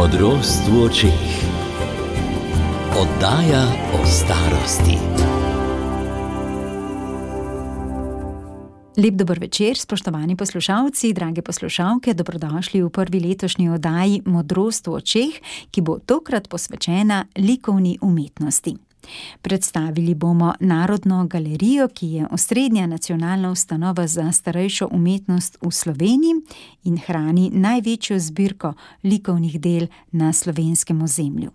Modrost v očeh. Oddaja o starosti. Lep dober večer, spoštovani poslušalci, drage poslušalke, dobrodošli v prvi letošnji oddaji Modrost v očeh, ki bo tokrat posvečena likovni umetnosti. Predstavili bomo Narodno galerijo, ki je osrednja nacionalna ustanova za starejšo umetnost v Sloveniji in hrani največjo zbirko likovnih del na slovenskem ozemlju.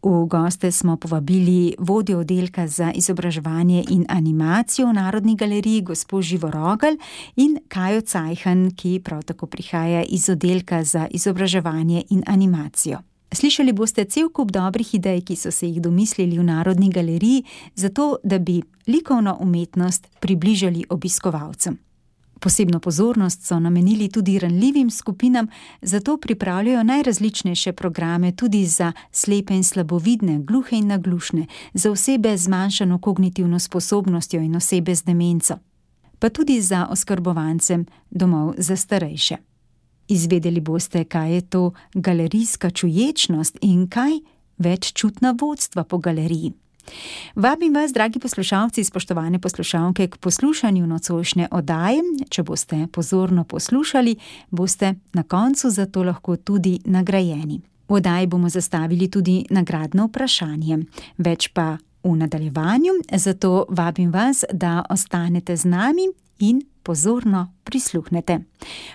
V goste smo povabili vodjo oddelka za izobraževanje in animacijo v Narodni galeriji, gospo Živo Rogelj, in Kajo Cajhan, ki prav tako prihaja iz oddelka za izobraževanje in animacijo. Slišali boste cel kup dobrih idej, ki so se jih domislili v Narodni galeriji, zato da bi likovno umetnost približali obiskovalcem. Posebno pozornost so namenili tudi ranljivim skupinam, zato pripravljajo najrazličnejše programe tudi za slepe in slabovidne, gluhe in naglušne, za osebe z zmanjšano kognitivno sposobnostjo in osebe z demenco, pa tudi za oskrbovance domov za starejše. Izvedeli boste, kaj je to galerijska čuječnost in kaj veččutna vodstva po galeriji. Vabim vas, dragi poslušalci, spoštovane poslušalke, k poslušanju nocojšnje oddaje. Če boste pozorno poslušali, boste na koncu za to lahko tudi nagrajeni. V oddaji bomo zastavili tudi nagradno vprašanje, več pa v nadaljevanju, zato vabim vas, da ostanete z nami in pozorno prisluhnete.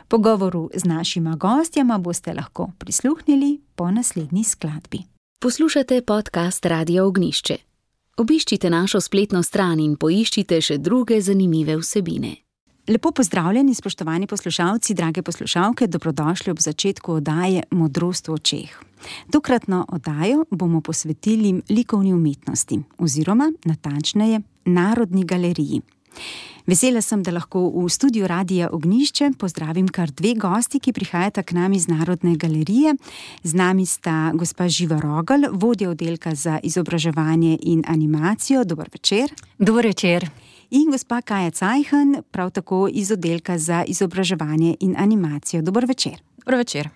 Pogovoru z našima gostjama boste lahko prisluhnili po naslednji skladbi. Poslušate podcast Radia Ognjišče. Obiščite našo spletno stran in poiščite še druge zanimive vsebine. Lepo pozdravljeni, spoštovani poslušalci, drage poslušalke, dobrodošli ob začetku oddaje Modrost v očeh. Tokratno oddajo bomo posvetili likovni umetnosti, oziroma natančneje Narodni galeriji. Vesela sem, da lahko v studiu Radia Ognjišče pozdravim kar dve gosti, ki prihajata k nam iz Narodne galerije. Z nami sta gospa Živa Rogelj, vodja oddelka za izobraževanje in animacijo. Dober večer. Dober večer. In gospa Kaja Cajhan, prav tako iz oddelka za izobraževanje in animacijo. Dober večer. Dober večer.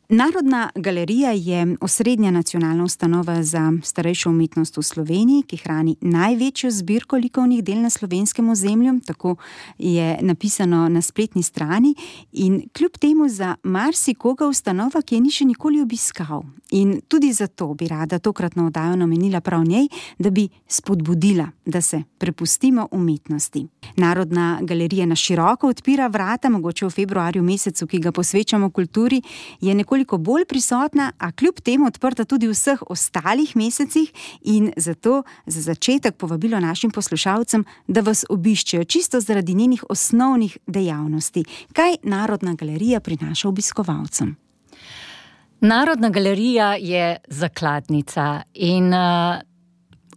Narodna galerija je osrednja nacionalna ustanova za starejšo umetnost v Sloveniji, ki hrani največjo zbirko likovnih del na slovenskem ozemlju, tako je napisano na spletni strani, in kljub temu za marsikoga ustanova, ki je ni še nikoli obiskal. In tudi zato bi rada tokratno oddajo namenila prav njej, da bi spodbudila, da se prepustimo umetnosti. Narodna galerija na široko odpira vrata, mogoče v februarju mesecu, ki ga posvečamo kulturi, je nekoliko bolj prisotna, a kljub temu odprta tudi v vseh ostalih mesecih, in zato za začetek povabilo našim poslušalcem, da vas obiščejo čisto zaradi njenih osnovnih dejavnosti. Kaj Narodna galerija prinaša obiskovalcem? Narodna galerija je zakladnica in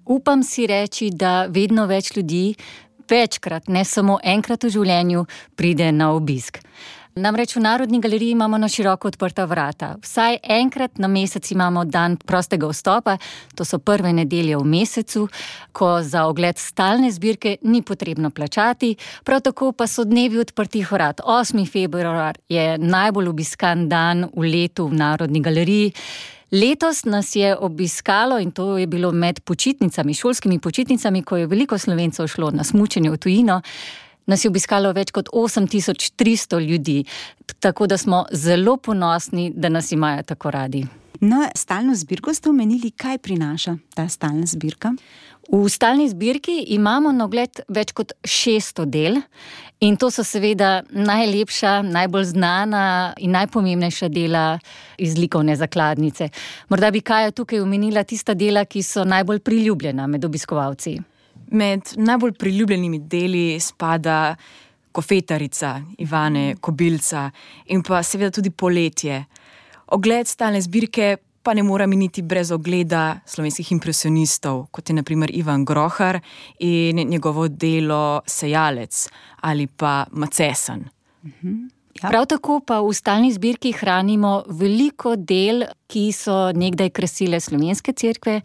upam si reči, da vedno več ljudi večkrat, ne samo enkrat v življenju, pride na obisk. Namreč v Narodni galeriji imamo na široko odprta vrata. Vsaj enkrat na mesec imamo dan prostega vstopa, to so prve nedelje v mesecu, ko za ogled stalne zbirke ni potrebno plačati, prav tako pa so dnevi odprtih vrat. 8. februar je najbolj obiskan dan v letu v Narodni galeriji. Letos nas je obiskalo, in to je bilo med počitnicami, šolskimi počitnicami, ko je veliko Slovencev šlo na smučanje v tujino, nas je obiskalo več kot 8300 ljudi, tako da smo zelo ponosni, da nas imajo tako radi. No, stalno zbirko ste omenili, kaj prinaša ta stalna zbirka? V stalni zbirki imamo na ogled več kot 600 del in to so seveda najlepša, najbolj znana in najpomembnejša dela iz likovne zakladnice. Morda bi Kaja tukaj omenila tista dela, ki so najbolj priljubljena med obiskovalci. Med najbolj priljubljenimi deli spada Kofetarica Ivane Kobilca in pa seveda tudi Poletje. Ogled stalne zbirke pa ne mora miniti brez ogleda slovenskih impresionistov, kot je na primer Ivan Grohar in njegovo delo Sejalec ali pa Macesan. Ja. Prav tako pa v stalni zbirki hranimo veliko del ki so nekdaj krasile slovenske cerkve.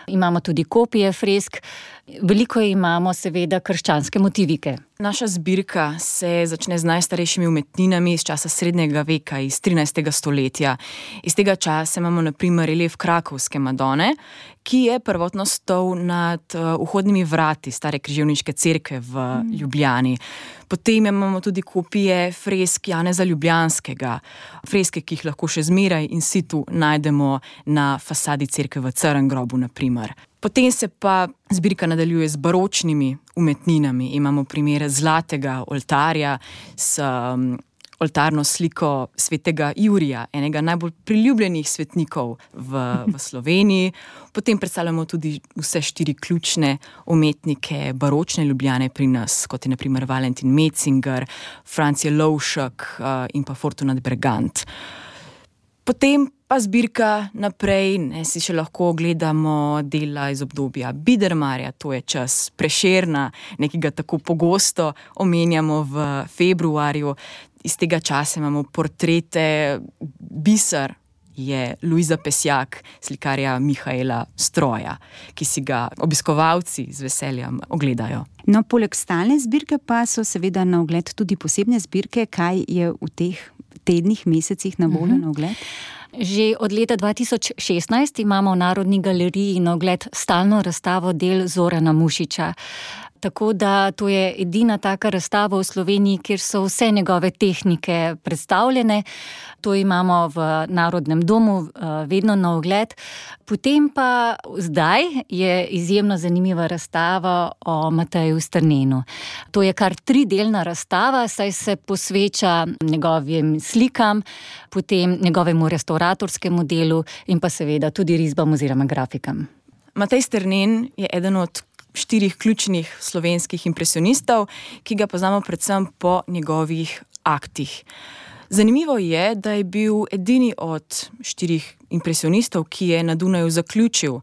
Imamo tudi kopije fresk. Veliko imamo seveda krščanske motivike. Naša zbirka se začne z najstarejšimi umetninami iz časa srednjega veka, iz 13. stoletja. Iz tega časa imamo na primer relief krakovske Madone, ki je prvotno stal nad vhodnimi vrati stare križevniške cerkve v Ljubljani. Potem imamo tudi kopije fresk Janeza Ljubljanskega, freske, ki jih lahko še zmeraj in situ najdemo na fasadi cerkve v Crngrobu, na primer. Potem se pa zbirka nadaljuje z baročnimi umetninami. Imamo primer zlatega oltarja s oltarno sliko svetega Jurija, enega najbolj priljubljenih svetnikov v Sloveniji. Potem predstavljamo tudi vse 4 ključne umetnike baročne Ljubljane pri nas, kot je na primer Valentin Metzinger, Franz Jelovšek in pa Fortunat Bergant. Potem pa zbirka naprej, si še lahko gledamo dela iz obdobja Bidermarja, to je čas Prešerna, nekega tako pogosto omenjamo v februarju. Iz tega časa imamo portrete, biser je Luiza Pesjak, slikarja Mihaela Stroja, ki si ga obiskovalci z veseljem ogledajo. No, poleg stalne zbirke pa so seveda na ogled tudi posebne zbirke. Kaj je v teh tednih, mesecih na voljo na ogled? Že od leta 2016 imamo v Narodni galeriji na ogled stalno razstavo del Zorana Mušiča. Tako da to je edina taka razstava v Sloveniji, kjer so vse njegove tehnike predstavljene. To imamo v Narodnem domu vedno na ogled. Potem pa zdaj je izjemno zanimiva razstava o Mateju Strnenu. To je kar 3-delna razstava, saj se posveča njegovim slikam, potem njegovemu restauratorskemu delu in pa seveda tudi risbam oziroma grafikam. Matej Strnen je eden od 4 ključnih slovenskih impresionistov, ki ga poznamo predvsem po njegovih aktih. Zanimivo je, da je bil edini od 4 impresionistov, ki je na Dunaju zaključil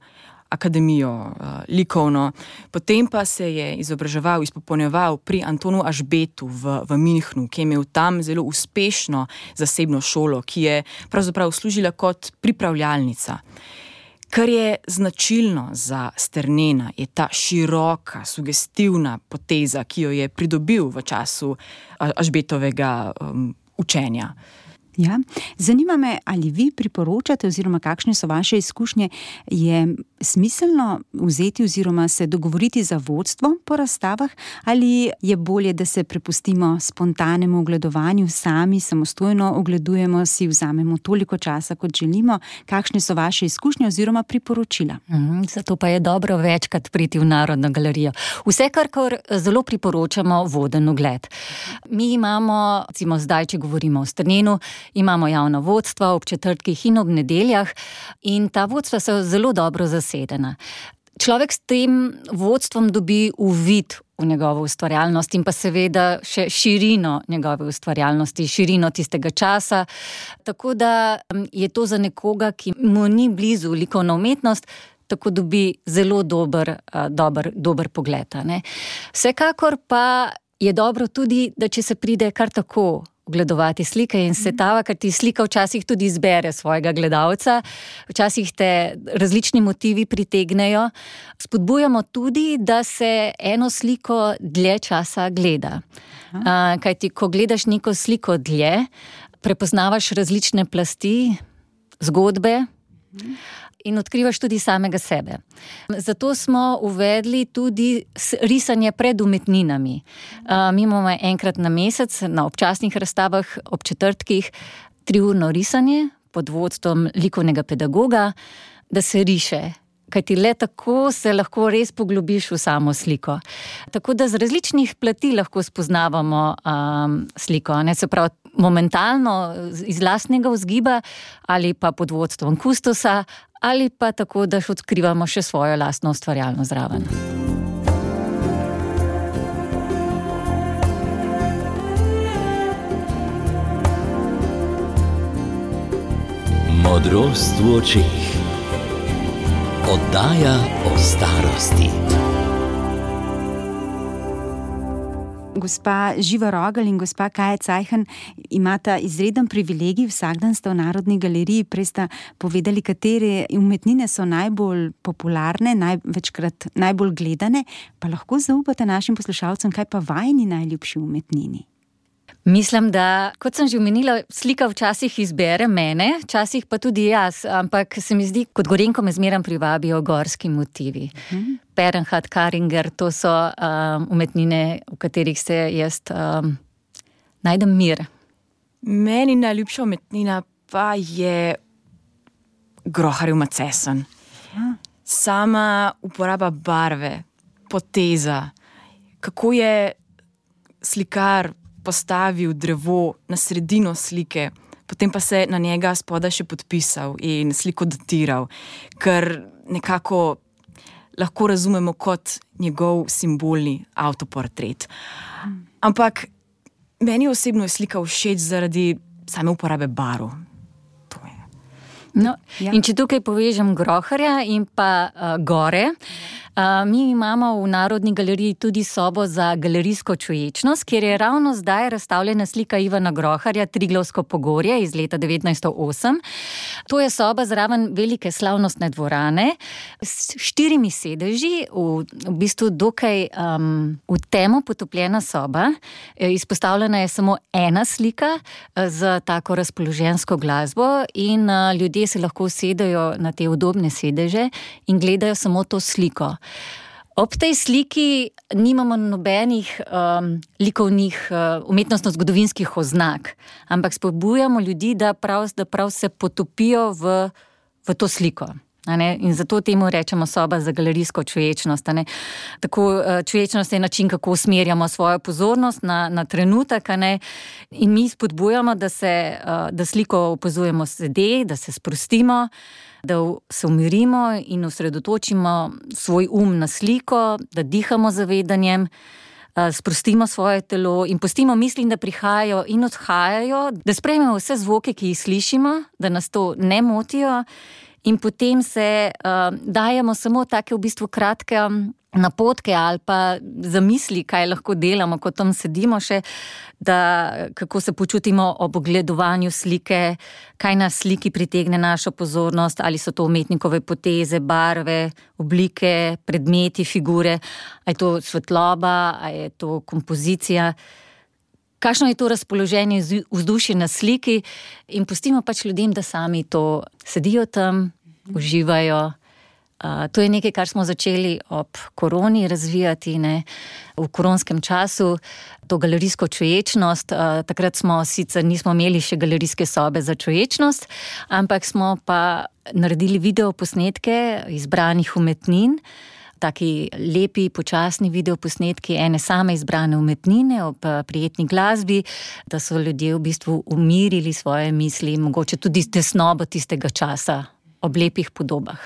akademijo likovno. Potem pa se je izobraževal, izpopolnjeval pri Antonu Ašbetu v Münchnu, ki je imel tam zelo uspešno zasebno šolo, ki je pravzaprav služila kot pripravljalnica. Kar je značilno za Strnena, je ta široka, sugestivna poteza, ki jo je pridobil v času Ašbetovega učenja. Ja. Zanima me, ali vi priporočate oziroma kakšne so vaše izkušnje, je smiselno vzeti oziroma se dogovoriti za vodstvo po razstavah, ali je bolje, da se prepustimo spontanemu ogledovanju, sami samostojno ogledujemo, si vzamemo toliko časa, kot želimo. Kakšne so vaše izkušnje oziroma priporočila? Zato pa je dobro večkrat priti v Narodno galerijo. Vsekakor zelo priporočamo voden ogled. Mi imamo, recimo zdaj, če govorimo o Strnenu, imamo javna vodstva ob četrtkih in ob nedeljah in ta vodstva so zelo dobro zasedena. Človek s tem vodstvom dobi uvid v njegovo ustvarjalnost in pa seveda še širino njegove ustvarjalnosti, širino tistega časa. Tako da je to za nekoga, ki mu ni blizu likovna umetnost, tako dobi zelo dober pogled. Ne? Vsekakor pa je dobro tudi, da če se pride kar tako ogledovati slike in svetava, ker ti slika včasih tudi izbere svojega gledalca, včasih te različni motivi pritegnejo. Spodbujamo tudi, da se eno sliko dlje časa gleda. Kajti, ko gledaš neko sliko dlje, prepoznavaš različne plasti, zgodbe in odkrivaš tudi samega sebe. Zato smo uvedli tudi risanje pred umetninami. Mi imamo enkrat na mesec na občasnih razstavah ob četrtkih 3-urno risanje pod vodstvom likovnega pedagoga, da se riše. Kajti le tako se lahko res poglobiš v samo sliko. Tako da z različnih plati lahko spoznavamo sliko. Se pravi, momentalno iz lastnega vzgiba ali pa pod vodstvom kustosa ali pa tako, da odkrivamo še svojo lastno ustvarjalnost zraven. Modrost v očeh. Oddaja o starosti. Gospa Živa Rogelj in gospa Kaja Cajhan imata izreden privilegij, vsak dan sta v Narodni galeriji, prej sta povedali, katere umetnine so najbolj popularne, večkrat najbolj gledane, pa lahko zaupate našim poslušalcem, kaj pa vajini najljubši umetnini? Mislim, da, kot sem že omenila, slika včasih izbere mene, včasih pa tudi jaz, ampak se mi zdi, kot Gorenjko me zmeraj privabijo gorski motivi. Bernhard Karinger, to so umetnine, v katerih se jaz najdem mir. Meni najljubša umetnina pa je groharjev macesen. Sama uporaba barve, poteza, kako je slikar postavil drevo na sredino slike, potem pa se na njega spodaj še podpisal in sliko datiral, ker nekako lahko razumemo kot njegov simbolni avtoportret. Ampak meni osebno je slika všeč zaradi same uporabe barv. To je. No, in če tukaj povežem groharja in pa gore, mi imamo v Narodni galeriji tudi sobo za galerijsko čuječnost, kjer je ravno zdaj razstavljena slika Ivana Groharja Triglavsko pogorje iz leta 1908. To je soba zraven velike slavnostne dvorane s 4 sedeži, v bistvu dokaj v temo potopljena soba. Izpostavljena je samo ena slika z tako razpoložensko glasbo in ljudje se lahko usedejo na te udobne sedeže in gledajo samo to sliko. Ob tej sliki nimamo nobenih likovnih, umetnostno-zgodovinskih oznak, ampak spodbujamo ljudi, da prav se potopijo v to sliko. In zato temu rečemo soba za galerijsko čuječnost. Tako čuječnost je način, kako usmerjamo svojo pozornost na trenutek, in mi spodbujamo, da sliko opazujemo sede, da se sprostimo, da se umirimo in osredotočimo svoj na sliko, da dihamo z zavedanjem, sprostimo svoje telo in pustimo misli, da prihajajo in odhajajo, da sprejmemo vse zvoke, ki jih slišimo, da nas to ne motijo. In potem se dajemo samo take v bistvu kratke napotke ali pa zamisli, kaj lahko delamo, ko tam sedimo še, kako se počutimo ob ogledovanju slike, kaj na sliki pritegne našo pozornost, ali so to umetnikove poteze, barve, oblike, predmeti, figure, ali je to svetloba, ali je to kompozicija. Kakšno je to razpoloženje, vzdušje na sliki in pustimo pač ljudem, da sami to sedijo tam, uživajo. To je nekaj, kar smo začeli ob koroni razvijati, v koronskem času, to galerijsko čuječnost. Takrat nismo imeli še galerijske sobe za čuječnost, ampak smo pa naredili videoposnetke izbranih umetnin, taki lepi, počasni videoposnetki ene same izbrane umetnine ob prijetni glasbi, da so ljudje v bistvu umirili svoje misli, mogoče tudi tesnobo tistega časa ob lepih podobah.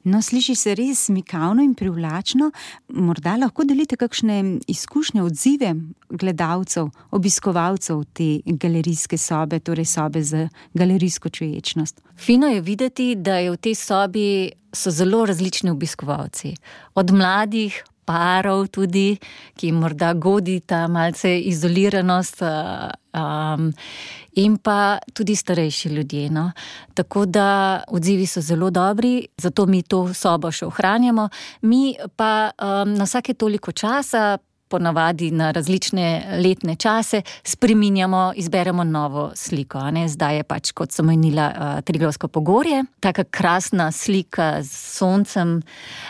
No, sliši se res mikavno in privlačno. Morda lahko delite kakšne izkušnje, odzive gledalcev, obiskovalcev te galerijske sobe, torej sobe za galerijsko čuječnost. Fino je videti, da je v tej sobi so zelo različni obiskovalci. Od mladih parov tudi, ki morda godi ta malce izoliranost, in pa tudi starejši ljudje. No. Tako da odzivi so zelo dobri, zato mi to sobo še ohranjamo. Mi pa na vsake toliko časa, ponavadi na različne letne čase, spreminjamo, izberemo novo sliko. Zdaj je pač, kot sem omenila, Triglavsko pogorje, taka krasna slika z soncem,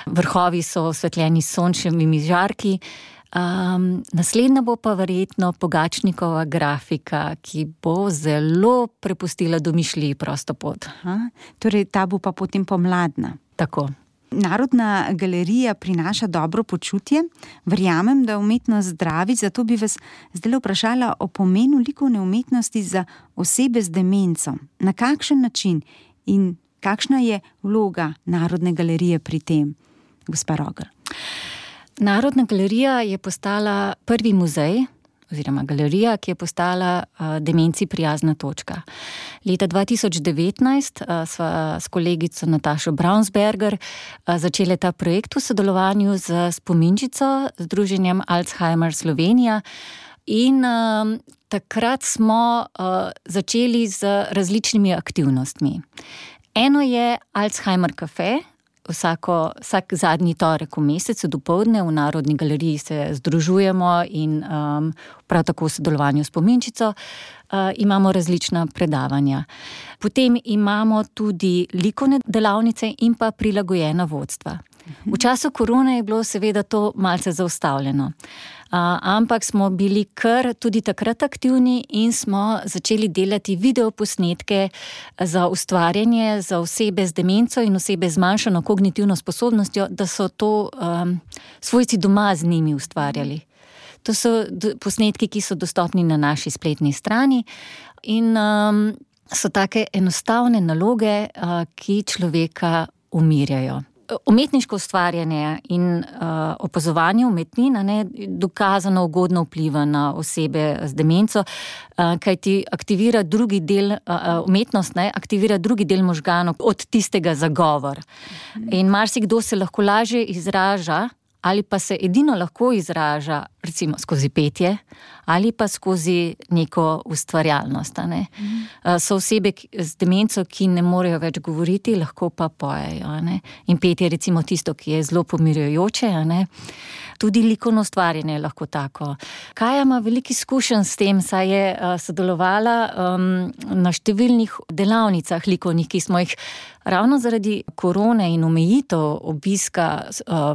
vrhovi so osvetljeni s sončevimi žarki. Naslednja bo pa verjetno Pogačnikova grafika, ki bo zelo prepustila domišljiji prosto pot. Torej ta bo pa potem pomladna. Tako. Narodna galerija prinaša dobro počutje. Verjamem, da umetnost zdravi, zato bi vas zdaj vprašala o pomenu likovne umetnosti za osebe z demenco. Na kakšen način in kakšna je vloga Narodne galerije pri tem, gospa Rogelj? Narodna galerija je postala prvi muzej oziroma galerija, ki je postala demenci prijazna točka. Leta 2019 sva s kolegico Natašo Braunsberger začeli ta projekt v sodelovanju z spominčico, Združenjem Alzheimer Slovenija, in takrat smo začeli z različnimi aktivnostmi. Eno je Alzheimer Cafe. Vsak zadnji torek v mesecu dopoldne v Narodni galeriji se združujemo in prav tako v sodelovanju s spominčico imamo različna predavanja. Potem imamo tudi likovne delavnice in pa prilagojena vodstva. V času korone je bilo seveda to malce zaustavljeno, ampak smo bili kar tudi takrat aktivni in smo začeli delati videoposnetke za ustvarjanje za osebe z demenco in osebe z zmanjšano kognitivno sposobnostjo, da so to svojci doma z njimi ustvarjali. To so posnetki, ki so dostopni na naši spletni strani in so take enostavne naloge, ki človeka umirjajo. Umetniško ustvarjanje in opazovanje umetnin dokazano ugodno vpliva na osebe z demenco, kajti aktivira drugi del, umetnost aktivira drugi del možganov od tistega za govor. In marsikdo se lahko lažje izraža ali pa se edino lahko izraža recimo skozi petje ali pa skozi neko ustvarjalnost. So osebe z demenco, ki ne morejo več govoriti, lahko pa pojejo. In petje je recimo tisto, ki je zelo pomirjujoče. Tudi likovno ustvarjanje je lahko tako. Kaja ima veliko izkušenj s tem, saj je sodelovala na številnih delavnicah likovnih, ki smo jih ravno zaradi korone in omejitev obiska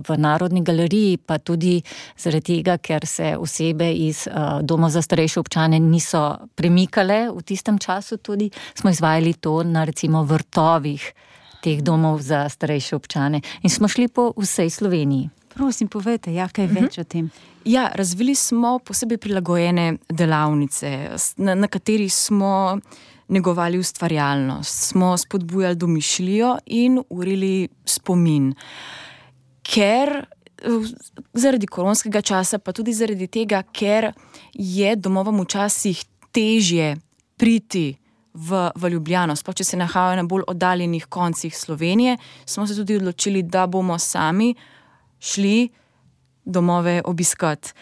v Narodni galeriji, pa tudi zaradi tega, ker se osebe iz domov za starejše občane niso premikale v tistem času, tudi smo izvajali to na recimo vrtovih teh domov za starejše občane in smo šli po vsej Sloveniji. Prosim, povejte, kaj več o tem. Ja, razvili smo posebej prilagojene delavnice, na kateri smo negovali ustvarjalnost, smo spodbujali domišljijo in urili spomin. Ker zaradi koronskega časa, pa tudi zaradi tega, ker je domovom včasih težje priti v Ljubljano, sploh če se nahajajo na bolj oddaljenih koncih Slovenije, smo se tudi odločili, da bomo sami šli domove obiskati.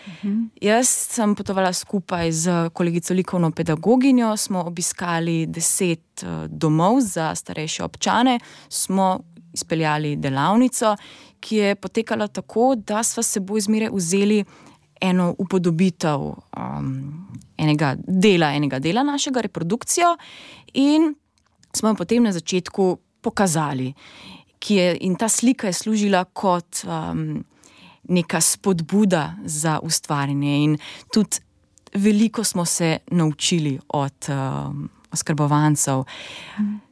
Jaz sem potovala skupaj z kolegico likovno pedagoginjo, smo obiskali 10 domov za starejše občane, smo izpeljali delavnico, ki je potekala tako, da sva seboj zmeraj vzeli eno upodobitev enega dela našega reprodukcijo in smo jo potem na začetku pokazali. In ta slika je služila kot neka spodbuda za ustvarjanje in tudi veliko smo se naučili od oskrbovancev.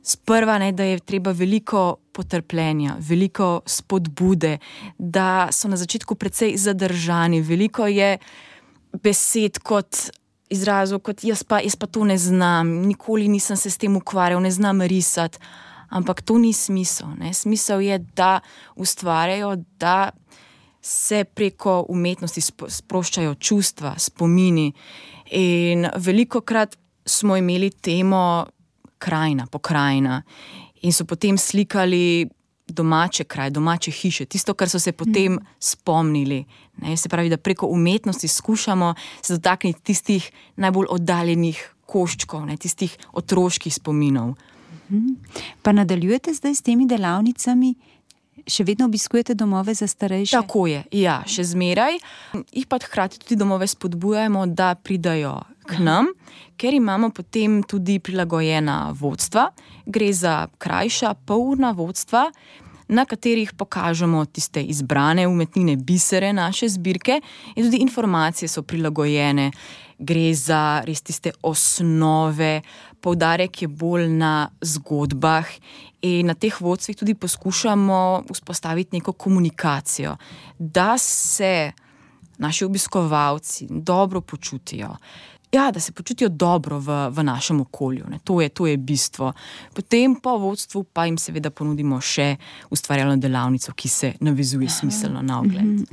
Sprva, da je treba veliko potrpljenja, veliko spodbude, da so na začetku precej zadržani, veliko je besed kot izrazov, kot jaz pa to ne znam, nikoli nisem se s tem ukvarjal, ne znam risati. Ampak to ni smisel. Smisel je, da ustvarjajo, da se preko umetnosti sproščajo čustva, spomini. In velikokrat smo imeli temo krajina, pokrajina in so potem slikali domače kraje, domače hiše, tisto, kar so se potem spomnili. Se pravi, da preko umetnosti skušamo se dotakniti tistih najbolj oddaljenih koščkov, tistih otroških spominov. Pa nadaljujete zdaj s temi delavnicami? Še vedno obiskujete domove za starejše? Tako je, ja, še zmeraj. Jih pa hkrati tudi domove spodbujamo, da pridajo k nam, ker imamo potem tudi prilagojena vodstva. Gre za krajša, polurna vodstva, na katerih pokažemo tiste izbrane umetnine, bisere naše zbirke in tudi informacije so prilagojene. Gre za res tiste osnove, poudarek je bolj na zgodbah in na teh vodstvih tudi poskušamo vzpostaviti neko komunikacijo, da se naši obiskovalci dobro počutijo. Ja, da se počutijo dobro v našem okolju. Ne. To je bistvo. Potem po vodstvu pa jim seveda ponudimo še ustvarjalno delavnico, ki se navezuje smiselno na ogled.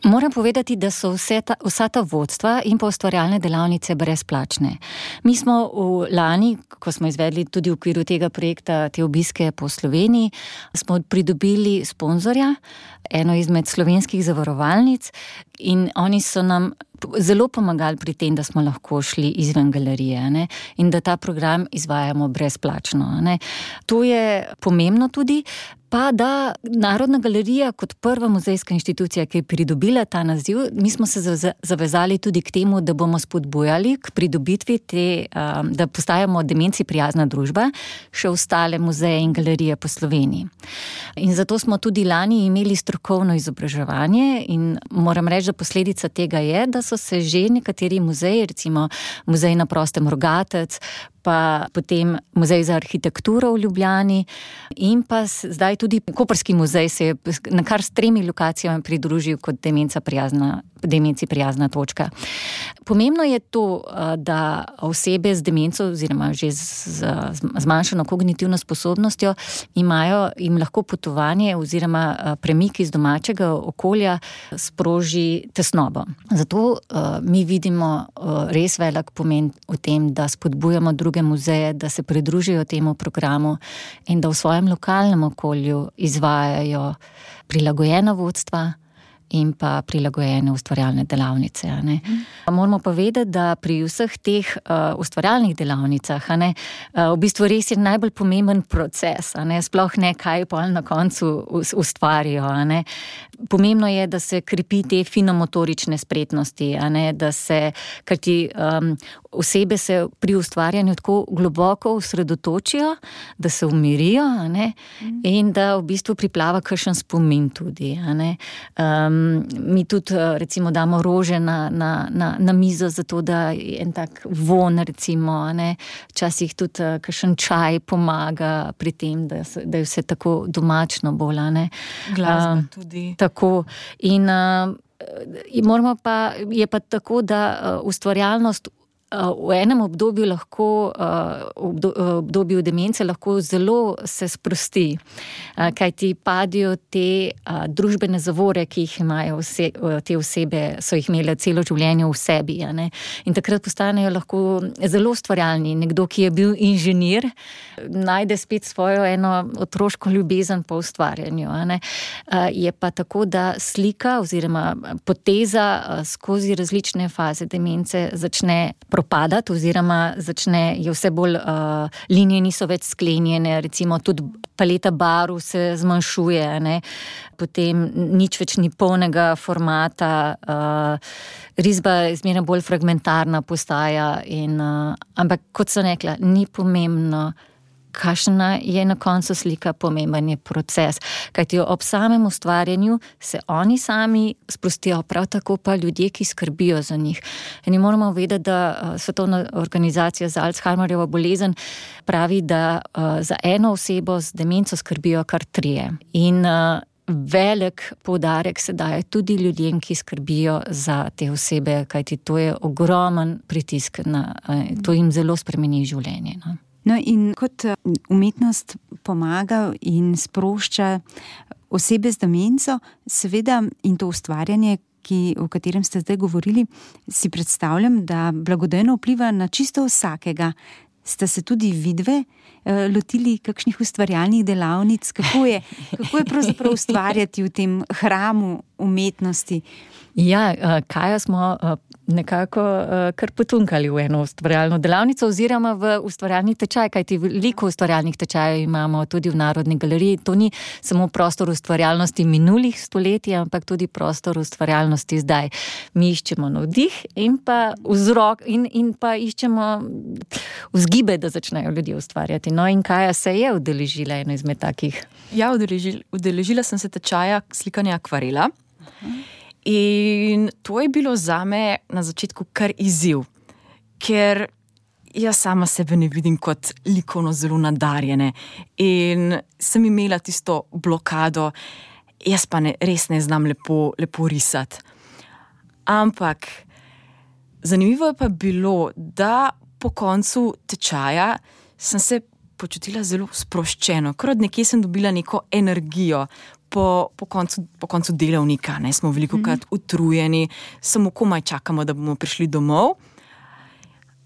Moram povedati, da so vsa ta vodstva in pa ustvarjalne delavnice brezplačne. Mi smo lani, ko smo izvedli tudi v okviru tega projekta te obiske po Sloveniji, smo pridobili sponzorja, eno izmed slovenskih zavarovalnic, in oni so nam zelo pomagali pri tem, da smo lahko šli izven galerije, ne? In da ta program izvajamo brezplačno. Ne? To je pomembno tudi, pa da Narodna galerija kot prva muzejska inštitucija, ki je pridobila ta naziv, mi smo se zavezali tudi k temu, da bomo spodbujali k pridobitvi da postajamo demenci prijazna družba, še ostale muzeje in galerije po Sloveniji. In zato smo tudi lani imeli strokovno izobraževanje in moram reči, da posledica tega je, da so se že nekateri muzeji, recimo Muzej na prostem Rogatec, pa potem Muzej za arhitekturo v Ljubljani in pa zdaj tudi Koprski muzej se je na kar s 3 lokacijami pridružil kot demenci prijazna točka. Pomembno je to, da osebe z demenco oziroma že z zmanjšano kognitivno sposobnostjo jim lahko potovanje oziroma premik iz domačega okolja sproži tesnobo. Zato mi vidimo res velik pomen v tem, da spodbujamo druge muzeje, da se pridružijo temu programu in da v svojem lokalnem okolju izvajajo prilagojena vodstva in pa prilagojene ustvarjalne delavnice. Moramo pa vedeti, da pri vseh teh ustvarjalnih delavnicah v bistvu res je najbolj pomemben proces, sploh ne kaj pa na koncu ustvarijo. Pomembno je, da se krepi te finomotorične spretnosti, da se, kajti osebe se pri ustvarjanju tako globoko osredotočijo, da se umirijo, in da v bistvu priplava kakšen spomin tudi. Mi tudi recimo damo rože na mizo, zato da je en tak von, recimo, včasih tudi kakšen čaj pomaga pri tem, da je vse tako domačno bolj. Glasba tudi. Tako. In je pa tako, da ustvarjalnost v enem obdobju lahko, obdobju demence lahko zelo se sprosti, kajti padijo te družbene zavore, ki jih imajo te osebe, so jih imele celo življenje v sebi, in takrat postanejo lahko zelo ustvarjalni. Nekdo, ki je bil inženir, najde spet svojo eno otroško ljubezen po ustvarjanju. Je pa tako, da slika oziroma poteza skozi različne faze demence začne propadati oziroma je vse bolj, linije niso več sklenjene, recimo tudi paleta barv se zmanjšuje, potem nič več ni polnega formata, risba zmeraj bolj fragmentarna postaja ampak kot sem rekla, ni pomembno, kakšna je na koncu slika, pomemben je proces. Kajti ob samem ustvarjanju se oni sami sprostijo, prav tako pa ljudje, ki skrbijo za njih. In moramo vedeti, da Svetovna organizacija za Alzheimerjevo bolezen pravi, da za eno osebo z demenco skrbijo kar 3. In velik poudarek se daje tudi ljudem, ki skrbijo za te osebe, kajti to je ogromen pritisk, to jim zelo spremeni življenje. No, in kot umetnost pomaga in sprošča osebe z demenco, seveda, in to ustvarjanje, o katerem ste zdaj govorili, si predstavljam, da blagodejno vpliva na čisto vsakega. Ste se tudi vidve lotili kakšnih ustvarjalnih delavnic? Kako je pravzaprav ustvarjati v tem hramu umetnosti? Ja, Kajo smo nekako kar potunkali v eno ustvarjalno delavnico oziroma v ustvarjalni tečaj, kajti veliko ustvarjalnih tečajev imamo tudi v Narodni galeriji. To ni samo prostor ustvarjalnosti minulih stoletij, ampak tudi prostor ustvarjalnosti zdaj. Mi iščemo navdih in pa vzrok in pa iščemo vzgibe, da začnejo ljudje ustvarjati. No, in Kaja se je udeležila eno izmed takih. Ja, udeležila sem se tečaja slikanja akvarela. In to je bilo zame na začetku kar izziv, ker jaz sama sebe ne vidim kot likovno zelo nadarjene in sem imela tisto blokado, jaz pa res ne znam lepo risati. Ampak Zanimivo je pa bilo, da po koncu tečaja sem se počutila zelo sproščeno, ker od nekje sem dobila neko energijo. Po koncu delavnika, smo velikokrat utrujeni, samo komaj čakamo, da bomo prišli domov.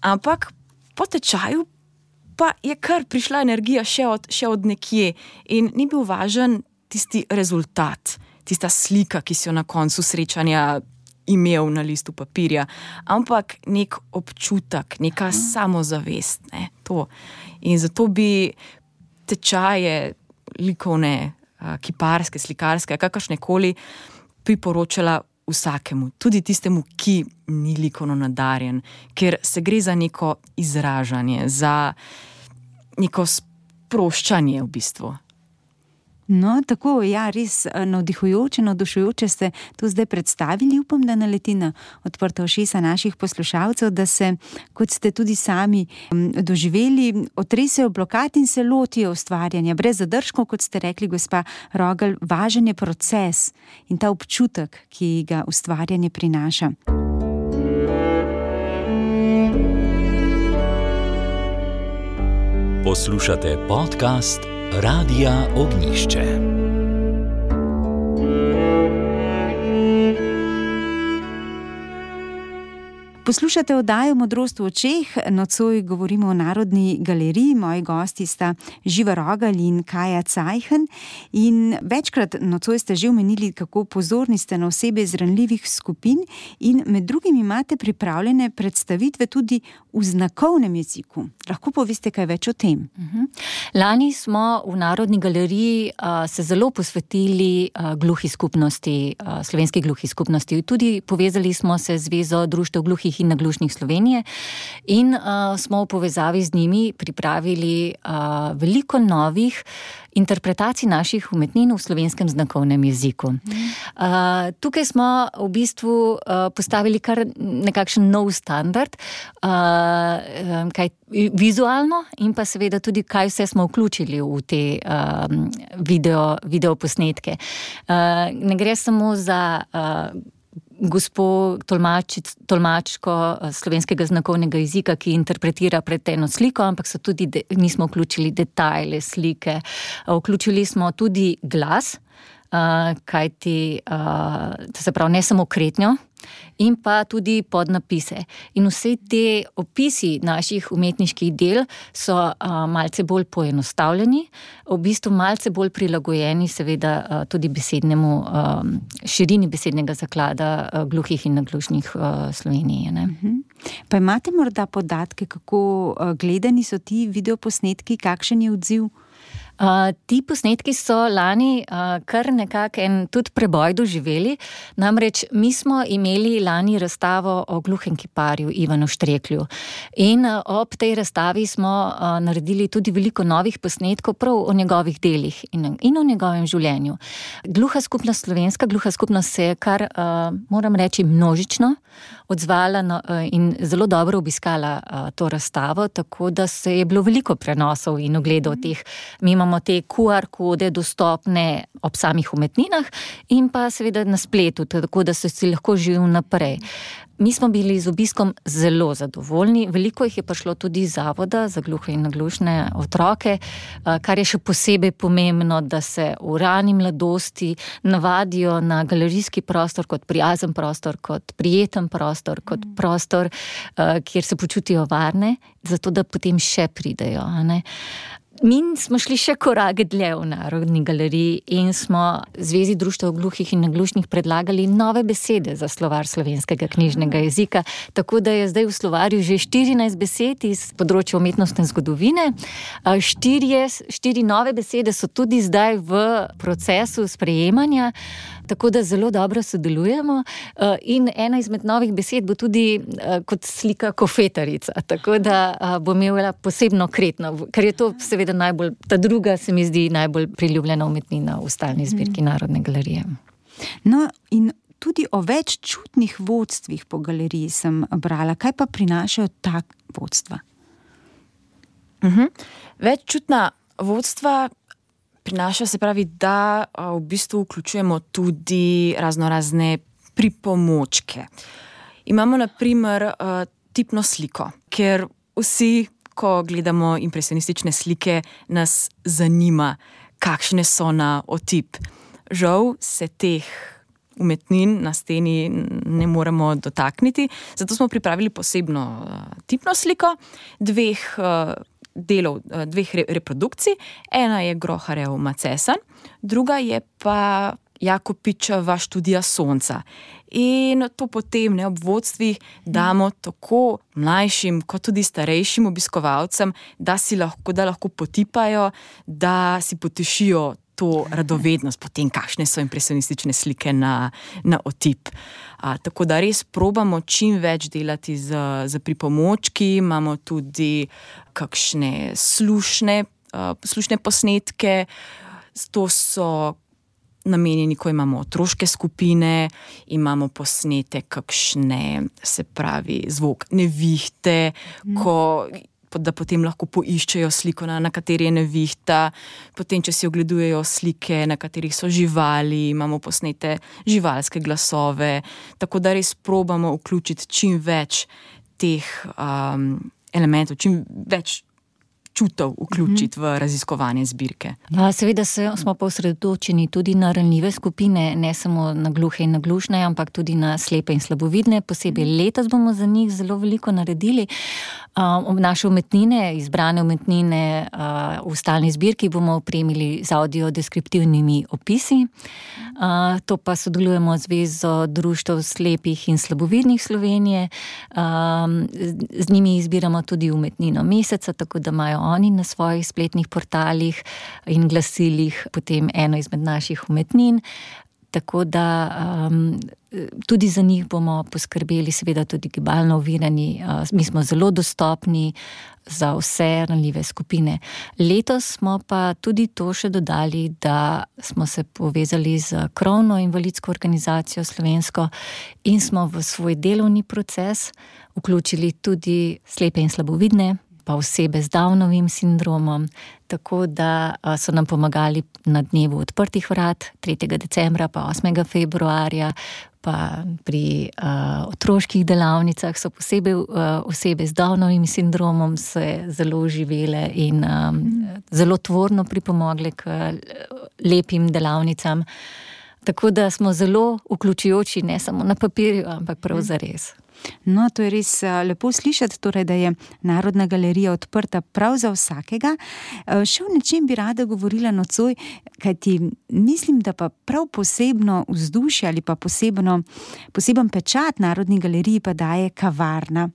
Ampak po tečaju pa je kar prišla energija še od nekje in ni bil važen tisti rezultat, tista slika, ki si jo na koncu srečanja imel na listu papirja, ampak nek občutek, neka samozavest, to. In zato bi tečaje likovne, kiparske, slikarske, kakršnekoli priporočala vsakemu, tudi tistemu, ki ni likovno nadarjen, ker se gre za neko izražanje, za neko sproščanje v bistvu. No, tako, ja, res navdihujoče, navdušujoče ste to zdaj predstavili. Upam, da naleti na odprta ušesa naših poslušalcev, da se, kot ste tudi sami doživeli, otresejo blokad in se lotijo ustvarjanja. Brez zadržkov, kot ste rekli, gospa Rogelj, važen je proces in ta občutek, ki ga ustvarjanje prinaša. Poslušate podcast Radia Ognišče. Poslušate oddajo Modrost v očeh, nocoj govorimo o Narodni galeriji, moji gosti sta Živa Rogelj in Kaja Cajhen in večkrat nocoj ste že omenili, kako pozorni ste na osebe iz ranljivih skupin in med drugim imate pripravljene predstavitve tudi v znakovnem jeziku. Lahko poveste kaj več o tem? Lani smo v Narodni galeriji se zelo posvetili gluhi skupnosti, slovenski gluhi skupnosti. Tudi povezali smo se z Zvezo društev gluhih in naglušnih Slovenije in smo v povezavi z njimi pripravili veliko novih interpretacij naših umetnin v slovenskem znakovnem jeziku. Tukaj smo v bistvu postavili kar nekakšen nov standard, kaj vizualno in pa seveda tudi, kaj vse smo vključili v te video posnetke. Ne gre samo za gospo tolmačko slovenskega znakovnega jezika, ki interpretira pred eno sliko, ampak so tudi, mi smo vključili detajle, slike, vključili smo tudi glas, kajti, to se pravi, ne samo kretnjo, in pa tudi podnapise. In vse te opisi naših umetniških del so malce bolj poenostavljeni, v bistvu malce bolj prilagojeni seveda tudi besednemu, širini besednega zaklada gluhih in naglušnih Slovenije. Ne? Pa imate morda podatke, kako gledani so ti videoposnetki, kakšen je odziv? Ti posnetki so lani kar nekako en tudi preboj doživeli, namreč mi smo imeli lani razstavo o gluhem kiparju Ivanu Štreklju in ob tej razstavi smo naredili tudi veliko novih posnetkov prav o njegovih delih in o njegovem življenju. Gluha skupnost, slovenska gluha skupnost se je kar, moram reči, množično odzvala in zelo dobro obiskala to razstavo, tako da se je bilo veliko prenosov in ogledov teh. Mi imamo te QR kode dostopne ob samih umetninah in pa seveda na spletu, tako da so si lahko živeli naprej. Mi smo bili z obiskom zelo zadovoljni, veliko jih je prišlo tudi iz Zavoda za gluhe in naglušne otroke, kar je še posebej pomembno, da se v rani mladosti navadijo na galerijski prostor kot prijazen prostor, kot prijeten prostor, kot prostor, kjer se počutijo varne, zato da potem še pridejo, ne? Mi smo šli še korak dlje v Narodni galeriji in smo Zvezi društev gluhih in naglušnih predlagali nove besede za slovar slovenskega knjižnega jezika, tako da je zdaj v slovarju že 14 besed iz področja umetnostne zgodovine. 4 nove besede so tudi zdaj v procesu sprejemanja, tako da zelo dobro sodelujemo in ena izmed novih besed bo tudi kot slika kofetarica, tako da bo imela posebno kretno, ker je to seveda najbolj, ta druga se mi zdi najbolj priljubljena umetnina v stalni zbirki Narodne galerije. No, in tudi o več čutnih vodstvih po galeriji sem brala. Kaj pa prinašajo ta vodstva? Veččutna vodstva prinaša, se pravi, da v bistvu vključujemo tudi raznorazne pripomočke. Imamo na primer tipno sliko, ker vsi, ko gledamo impresionistične slike, nas zanima, kakšne so na otip. Žal se teh umetnin na steni ne moremo dotakniti, zato smo pripravili posebno tipno sliko dveh reprodukcij. Ena je Groharjev Macesen, druga je pa Jakopičeva Študija sonca. In to potem ob vodstvih damo tako mlajšim kot tudi starejšim obiskovalcem, da lahko potipajo, da si potešijo to radovednost potem, kakšne so impresionistične slike na otip. Tako da res probamo čim več delati z pripomočki, imamo tudi kakšne slušne posnetke, to so namenjeni, ko imamo otroške skupine, imamo posnetek kakšne, se pravi, zvok nevihte, da potem lahko poiščejo sliko, na kateri je nevihta, potem, če si ogledujejo slike, na katerih so živali, imamo posnete živalske glasove, tako da res probamo vključiti čim več teh elementov, čim več čutov vključiti v raziskovanje zbirke. Seveda smo pa osredotočeni tudi na ranljive skupine, ne samo na gluhe in na glušne, ampak tudi na slepe in slabovidne. Posebej letos bomo za njih zelo veliko naredili. Naše umetnine, izbrane umetnine v stalni zbirki bomo opremili z audiodeskriptivnimi opisi. To pa sodelujemo z Zvezo društev slepih in slabovidnih Slovenije. Z njimi izbiramo tudi umetnino meseca, tako da imajo oni na svojih spletnih portalih in glasilih potem eno izmed naših umetnin. Tako da tudi za njih bomo poskrbeli, seveda tudi gibalno ovirani. Mi smo zelo dostopni za vse ranljive skupine. Letos smo pa tudi to še dodali, da smo se povezali z krovno invalidsko organizacijo slovensko in smo v svoj delovni proces vključili tudi slepe in slabovidne, pa osebe z Downovim sindromom, tako da so nam pomagali na dnevu odprtih vrat 3. decembra pa 8. februarja, pa pri otroških delavnicah so posebej osebe z Downovim sindromom se zelo uživele in zelo tvorno pripomogle k lepim delavnicam. Tako da smo zelo vključujoči, ne samo na papirju, ampak prav zares. No, to je res lepo slišati, torej, da je Narodna galerija odprta prav za vsakega. Še o nečem bi rada govorila nocoj, kajti mislim, da pa prav posebno vzdušje ali pa poseben pečat Narodni galeriji pa daje kavarna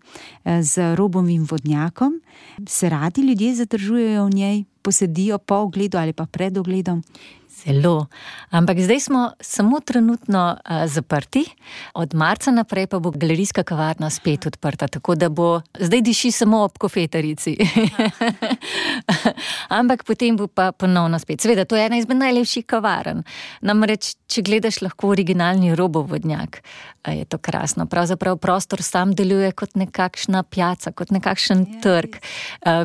z robovim vodnjakom. Se radi ljudje zadržujejo v njej, posedijo po ogledu ali pa pred ogledom? Zelo. Ampak zdaj smo samo trenutno zaprti, od marca naprej pa bo galerijska kavarna spet odprta, tako da bo, zdaj diši samo ob kofetarici. Ampak potem bo pa ponovno spet. Seveda, to je ena izmed najlepših kavarn. Namreč, če gledaš lahko originalni robov vodnjak, je to krasno. Pravzaprav prostor sam deluje kot nekakšna pijača, kot nekakšen trg.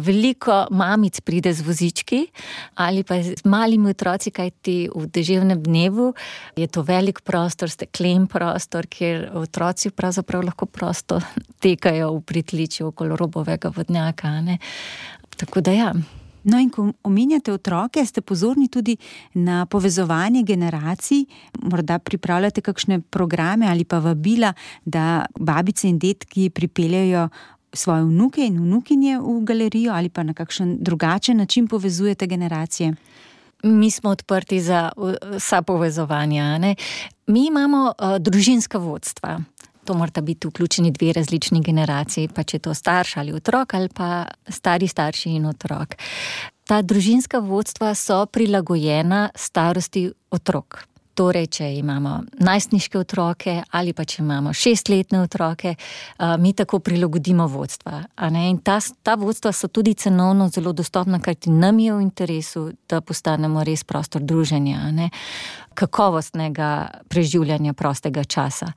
Veliko mamic pride z vozički ali pa z malimi otroci, kajti v deževnem dnevu je to velik prostor, steklen prostor, kjer otroci pravzaprav lahko prosto tekajo v pritličju okoli robovega vodnjaka, ne? Tako da ja. No, in ko omenjate otroke, ste pozorni tudi na povezovanje generacij, morda pripravljate kakšne programe ali pa vabila, da babice in dedki pripeljajo svoje vnuke in vnukinje v galerijo ali pa na kakšen drugačen način povezujete generacije? Mi smo odprti za vsa povezovanja, ne? Mi imamo družinska vodstva. To morata biti vključeni 2 različni generaciji, pa če to starš ali otrok ali pa stari starši in otrok. Ta družinska vodstva so prilagojena starosti otrok. Torej, če imamo najstniške otroke ali pa če imamo 6-letne otroke, mi tako prilagodimo vodstva. In ta vodstva so tudi cenovno zelo dostopna, kajti nam je v interesu, da postanemo res prostor druženja, kakovostnega preživljanja prostega časa.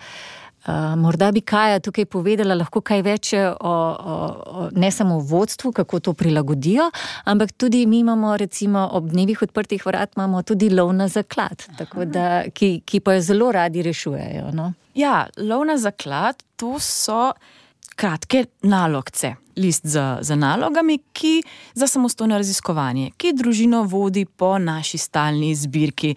Morda bi Kaja tukaj povedala lahko kaj več o ne samo o vodstvu, kako to prilagodijo, ampak tudi mi imamo recimo ob dnevih odprtih vrat imamo tudi lov na zaklad, tako da, ki pa jo zelo radi rešujejo. No? Ja, lov na zaklad, to so kratke nalogce, list z nalogami, ki za samostojno raziskovanje, ki družino vodi po naši stalni zbirki.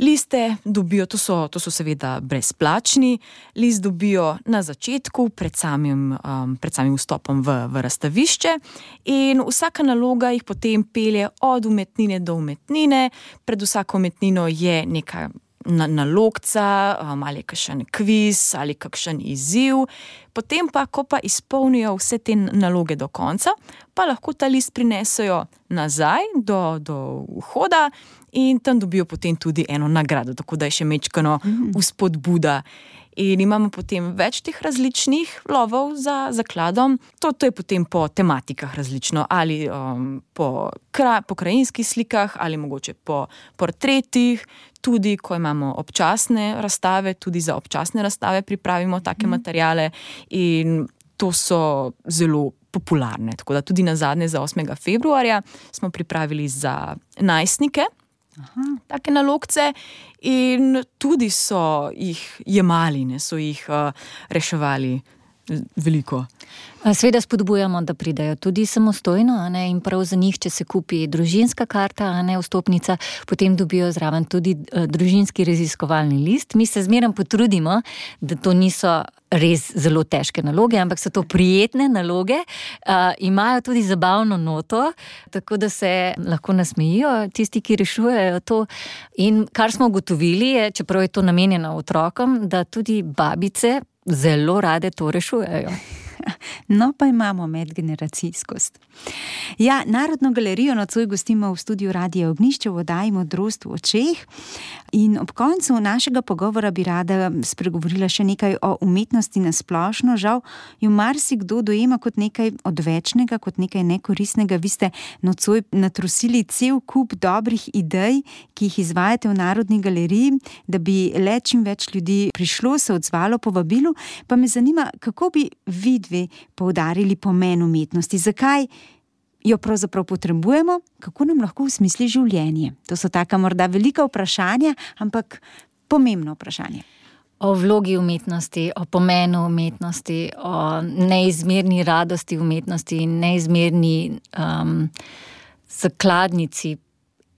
Liste dobijo, to so seveda brezplačni, list dobijo na začetku, pred samim vstopom v razstavišče in vsaka naloga jih potem pelje od umetnine do umetnine. Pred vsako umetnino je neka nalogca, ali kakšen kviz, ali kakšen izziv. Potem pa, ko pa izpolnijo vse te naloge do konca, pa lahko ta list prinesejo nazaj do vhoda in tam dobijo potem tudi eno nagrado, tako da je še mečkano vzpodbuda. In imamo potem več teh različnih lovov za zakladom. To je potem po tematikah različno, ali po krajinskih slikah, ali mogoče po portretih. Tudi, ko imamo občasne razstave, tudi za občasne razstave pripravimo take materiale in to so zelo popularne. Tako da tudi nazadnje za 8. februarja smo pripravili za najstnike take nalogce in tudi so jih jemali, so jih reševali veliko. Seveda spodbujamo, da pridejo tudi samostojno, in prav za njih, če se kupi družinska karta, vstopnica, potem dobijo zraven tudi družinski raziskovalni list. Mi se zmeraj potrudimo, da to niso res zelo težke naloge, ampak so to prijetne naloge, imajo tudi zabavno noto, tako da se lahko nasmejijo tisti, ki rešujejo to. In kar smo ugotovili je, čeprav je to namenjeno otrokom, da tudi babice zelo rade to rešujejo. No, pa imamo medgeneracijskost. Ja, Narodno galerijo nocoj gostimo v studiu Radia Ognjišče v oddaji Modrost v očeh. In ob koncu našega pogovora bi rada spregovorila še nekaj o umetnosti na splošno. Žal jo marsikdo dojema kot nekaj odvečnega, kot nekaj nekoristnega. Vi ste nocoj natrosili cel kup dobrih idej, ki jih izvajate v Narodni galeriji, da bi le čim več ljudi prišlo, se odzvalo povabilu. Pa me zanima, kako bi vi dve poudarili pomen umetnosti? Zakaj jo pravzaprav potrebujemo? Kako nam lahko usmisli življenje? To so taka morda velika vprašanja, ampak pomembno vprašanje. O vlogi umetnosti, o pomenu umetnosti, o neizmerni radosti umetnosti in neizmerni zakladnici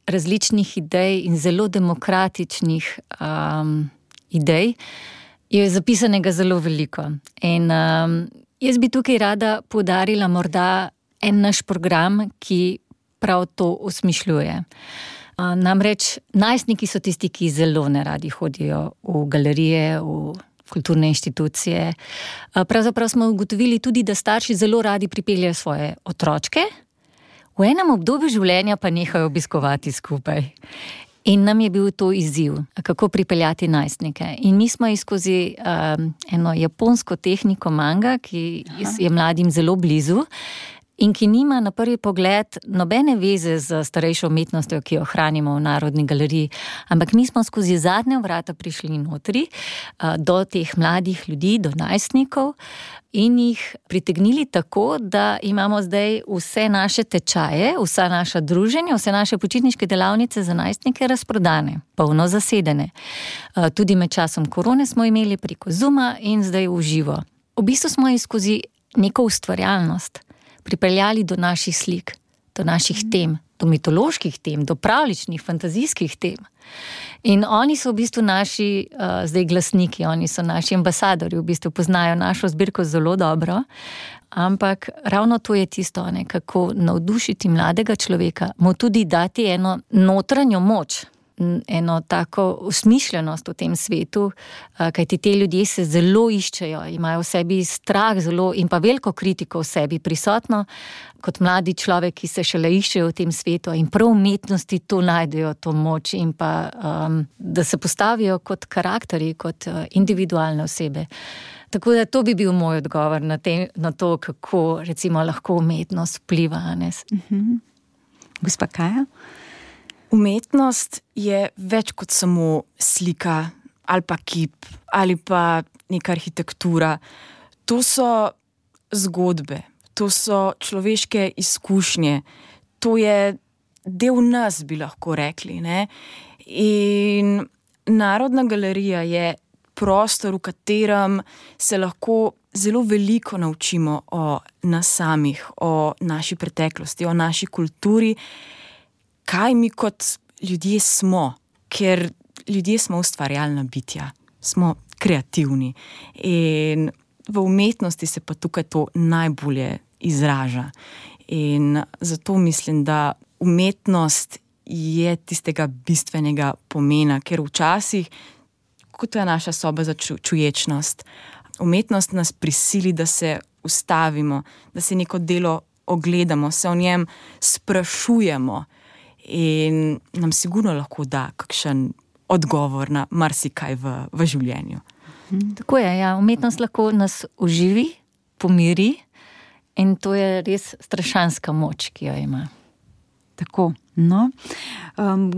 različnih idej in zelo demokratičnih idej je zapisanega zelo veliko. In jaz bi tukaj rada poudarila morda en naš program, ki prav to osmišljuje. Namreč najstniki so tisti, ki zelo neradi hodijo v galerije, v kulturne inštitucije. Pravzaprav smo ugotovili tudi, da starši zelo radi pripeljejo svoje otročke, v enem obdobju življenja pa nehajo obiskovati skupaj. In nam je bil to izziv, kako pripeljati najstnike. In mi smo skozi eno japonsko tehniko manga, ki je mladim zelo blizu in ki nima na prvi pogled nobene veze z starejšo umetnostjo, ki jo hranimo v Narodni galeriji. Ampak mi smo skozi zadnja vrata prišli notri do teh mladih ljudi, do najstnikov in jih pritegnili tako, da imamo zdaj vse naše tečaje, vsa naša druženja, vse naše počitniške delavnice za najstnike razprodane, polno zasedene. Tudi med časom korone smo imeli preko Zooma in zdaj v živo. V bistvu smo jih skozi neko ustvarjalnost pripeljali do naših slik, do naših tem, do mitoloških tem, do pravljičnih, fantazijskih tem. In oni so v bistvu naši zdaj glasniki, oni so naši ambasadorji, v bistvu poznajo našo zbirko zelo dobro, ampak ravno to je tisto, kako navdušiti mladega človeka, mu tudi dati eno notranjo moč, eno tako usmišljenost v tem svetu, kajti te ljudje se zelo iščejo, imajo v sebi strah zelo in pa veliko kritiko v sebi prisotno, kot mladi človek, ki se šele iščejo v tem svetu in prav umetnosti to najdejo, to moč in pa, da se postavijo kot karakterji, kot individualne osebe. Tako da to bi bil moj odgovor na to, kako recimo lahko umetnost vpliva. Gospa Kaja? Umetnost je več kot samo slika ali pa kip, ali pa neka arhitektura. To so zgodbe, to so človeške izkušnje, to je del nas, bi lahko rekli, ne? In Narodna galerija je prostor, v katerem se lahko zelo veliko naučimo o nas samih, o naši preteklosti, o naši kulturi, kaj mi kot ljudje smo, ker ljudje smo ustvarjalna bitja, smo kreativni in v umetnosti se pa tukaj to najbolje izraža. In zato mislim, da umetnost je tistega bistvenega pomena, ker včasih, kot je naša soba za čuječnost, umetnost nas prisili, da se ustavimo, da se neko delo ogledamo, se o njem sprašujemo in nam sigurno lahko da kakšen odgovor na marsikaj v življenju. Tako je, ja. Umetnost lahko nas oživi, pomiri in to je res strašanska moč, ki jo ima. Tako, no.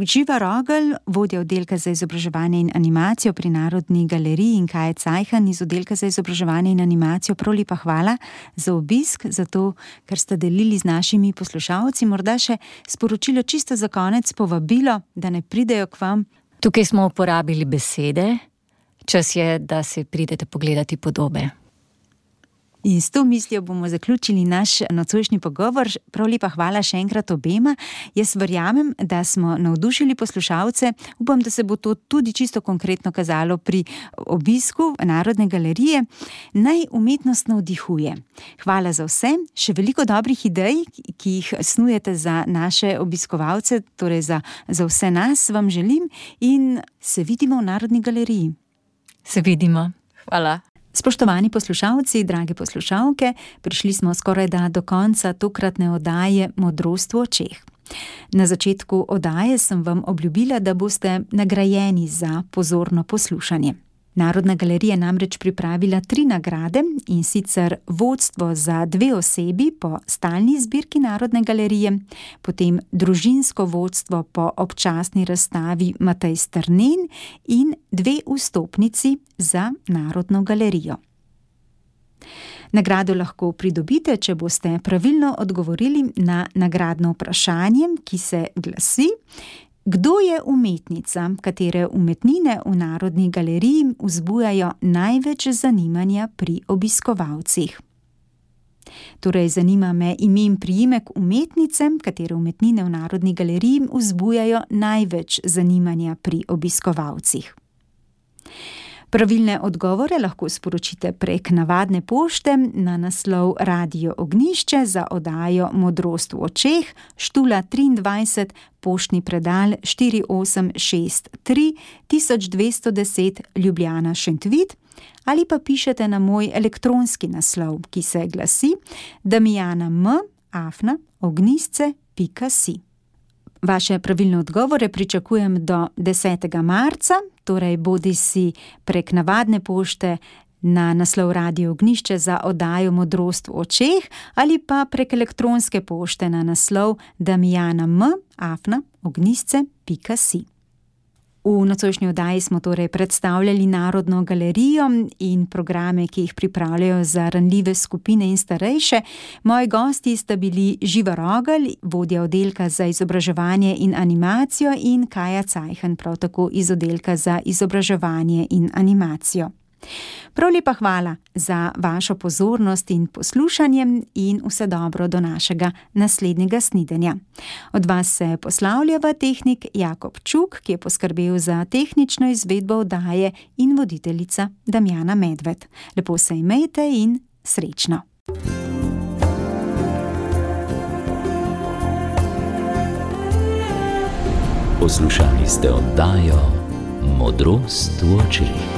Živa Rogelj, vodja oddelka za izobraževanje in animacijo pri Narodni galeriji, in Kaja Cajhan iz oddelka za izobraževanje in animacijo. Prav lepa hvala za obisk, za to, ker ste delili z našimi poslušalci. Morda še sporočilo čisto za konec, povabilo, da ne pridejo k vam. Tukaj smo uporabili besede, čas je, da se pridete pogledati podobe. In s to mislijo bomo zaključili naš nocojšnji pogovor. Prav lepa hvala še enkrat obema. Jaz verjamem, da smo navdušili poslušalce. Upam, da se bo to tudi čisto konkretno kazalo pri obisku Narodne galerije. Naj umetnost navdihuje. Hvala za vse. Še veliko dobrih idej, ki jih snujete za naše obiskovalce, torej za vse nas, vam želim in se vidimo v Narodni galeriji. Se vidimo. Hvala. Spoštovani poslušalci, drage poslušalke, prišli smo skorajda do konca tokratne oddaje Modrost v očeh. Na začetku oddaje sem vam obljubila, da boste nagrajeni za pozorno poslušanje. Narodna galerija namreč pripravila 3 nagrade, in sicer vodstvo za 2 osebi po stalni zbirki Narodne galerije, potem družinsko vodstvo po občasni razstavi Matej Strnen in 2 vstopnici za Narodno galerijo. Nagrado lahko pridobite, če boste pravilno odgovorili na nagradno vprašanje, ki se glasi: kdo je umetnica, katere umetnine v Narodni galeriji vzbujajo največ zanimanja pri obiskovalcih? Torej, zanima me ime in priimek umetnice, katere umetnine v Narodni galeriji vzbujajo največ zanimanja pri obiskovalcih. Pravilne odgovore lahko sporočite prek navadne pošte na naslov Radio Ognjišče za oddajo Modrost v očeh, Štula 23, poštni predal 4863 1210 Ljubljana Šentvid, ali pa pišete na moj elektronski naslov, ki se glasi damiana@ognjisce.si. Vaše pravilne odgovore pričakujem do 10. marca, torej bodisi prek navadne pošte na naslov Radio Ognjišče za oddajo Modrost v očeh ali pa prek elektronske pošte na naslov damiana@ognjisce.si. V nocojšnji oddaji smo torej predstavljali Narodno galerijo in programe, ki jih pripravljajo za ranljive skupine in starejše. Moji gosti sta bili Živa Rogelj, vodja oddelka za izobraževanje in animacijo, in Kaja Cajhan, prav tako iz oddelka za izobraževanje in animacijo. Prav lepa hvala za vašo pozornost in poslušanje in vse dobro do našega naslednjega snidenja. Od vas se poslavljava tehnik Jakob Čuk, ki je poskrbel za tehnično izvedbo oddaje, in voditeljica Damjana Medved. Lepo se imejte in srečno. Poslušali ste oddajo Modrost v očeh.